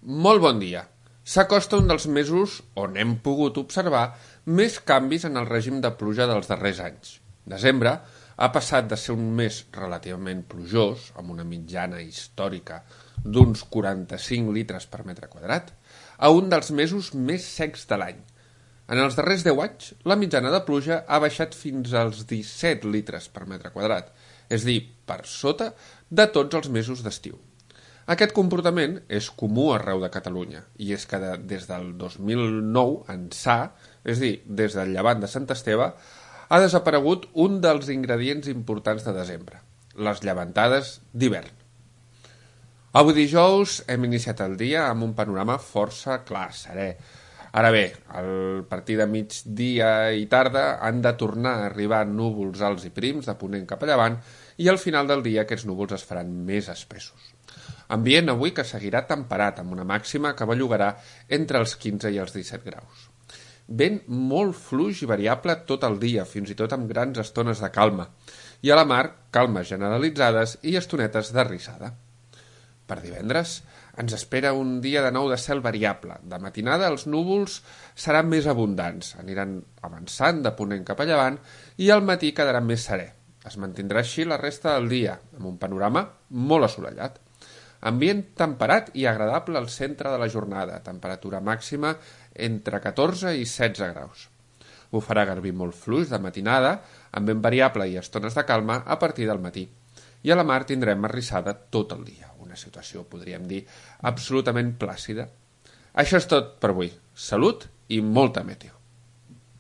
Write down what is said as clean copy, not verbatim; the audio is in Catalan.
Molt bon dia. S'acosta un dels mesos on hem pogut observar més canvis en el règim de pluja dels darrers anys. Desembre ha passat de ser un mes relativament plujós, amb una mitjana històrica d'uns 45 litres per metre quadrat, a un dels mesos més secs de l'any. En els darrers 10 anys, la mitjana de pluja ha baixat fins als 17 litres per metre quadrat, és a dir, per sota de tots els mesos d'estiu. Aquest comportament és comú arreu de Catalunya, i és que des del 2009 ençà, és a dir, des del llevant de Sant Esteve, ha desaparegut un dels ingredients importants de desembre, les llevantades d'hivern. Avui dijous hem iniciat el dia amb un panorama força clar, serè. Ara bé, a partir de migdia i tarda han de tornar a arribar núvols alts i prims de ponent cap a llevant i al final del dia aquests núvols es faran més espessos. Ambient avui que seguirà temperat amb una màxima que bellugarà entre els 15 i els 17 graus. Vent molt fluix i variable tot el dia, fins i tot amb grans estones de calma, i a la mar calmes generalitzades i estonetes de rissada. Per divendres ens espera un dia de nou de cel variable. De matinada els núvols seran més abundants, aniran avançant de ponent cap a llevant i al matí quedarà més serè. Es mantindrà així la resta del dia, amb un panorama molt assolellat. Ambient temperat i agradable al centre de la jornada, temperatura màxima entre 14 i 16 graus. Bufarà garbí molt fluix de matinada, amb vent variable i estones de calma a partir del matí. I a la mar tindrem arrissada tot el dia, una situació, podríem dir, absolutament plàcida. Això és tot per avui. Salut i molta meteo.